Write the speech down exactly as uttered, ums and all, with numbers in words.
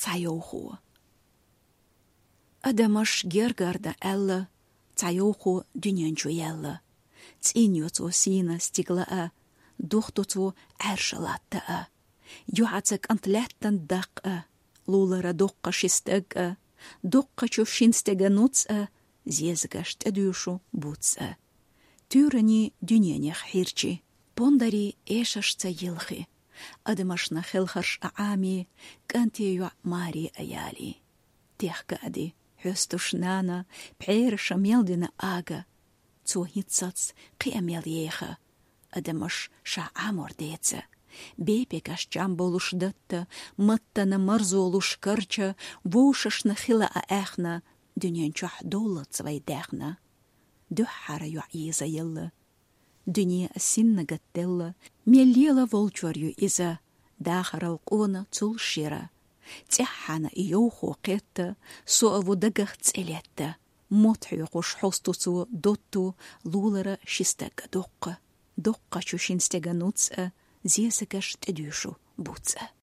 цхьа йовхо. Адамаш гергара дан аьлла, цхьа йовхо дуьнен чу яьлла. ЦӀийна йо цо сийна стигла а, дохду цо Ӏаьржа латта а. Юьхьаца кӀант лаьттан даккха а, лулара доккха ши стаг а, доккхачу шин стега нуц а, зезагаш тӀедуьйшу буц а. Туьйранний дуьненех хьирчи, пондарий эшашца йилхи, адамашна хелхарш а Ӏами, кӀанте йоӀ маре а яли. Техка а ди, хьоьстуш нана, пхьераша мел дина ага, цо хӀинццалц кхиа мел еха, адамаш ша Ӏамор деца. Бепегаш чам болуш датта, маттана марзолуш карча, вовшашна хила а аьхна, дуьнен чохь довллалц вай даьхна. Дуьххьара йоӀ йийза елла. Дуьне а синна гатделла, мел лела волчор ю иза, дахарал къона цул шира. ЦӀеххьана и йовхо кхетта, со а ву дагах цӀе летта. Мотт хьоькхуш хьосту цо дотту, лулара ши стаг а доккха. Доккхачу шин стега нуц а, зезагаш тӀедуьйшу буц а.